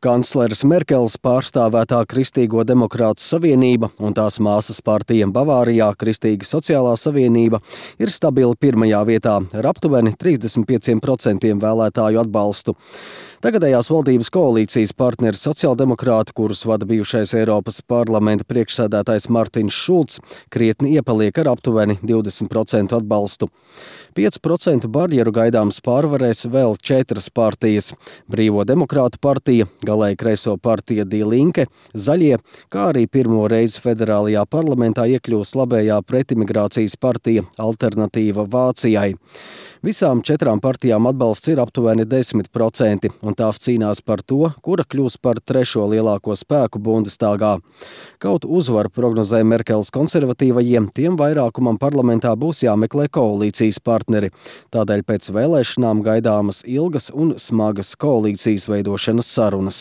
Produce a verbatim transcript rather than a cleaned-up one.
Kancleres Merkeles pārstāvētā Kristīgo demokrātu savienība un tās māsas partija Bavārijā Kristīga sociālā savienība ir stabili pirmajā vietā ar aptuveni trīsdesmit pieciem procentiem vēlētāju atbalstu. Tagadējās valdības koalīcijas partneri sociāldemokrāti, kurus vada bijušais Eiropas parlamenta priekšsēdētājs Martins Šulcs, krietni iepaliek ar aptuveni divdesmit procentu atbalstu. pieci procenti barjeru gaidāms pārvarēs vēl četras partijas – Brīvo demokrātu partija, galēji kreiso partija Die Linke, Zaļie, kā arī pirmo reizi federālajā parlamentā iekļūs labējā pretimigrācijas partija Alternatīva Vācijai. Visām četrām partijām atbalsts ir aptuveni desmit procenti, un tās cīnās par to, kura kļūs par trešo lielāko spēku Bundestāgā. Kaut uzvaru prognozē Merkeles konservatīvajiem, tiem vairākumam parlamentā būs jāmeklē koalīcijas partneri. Tādēļ pēc vēlēšanām gaidāmas ilgas un smagas koalīcijas veidošanas sarunas.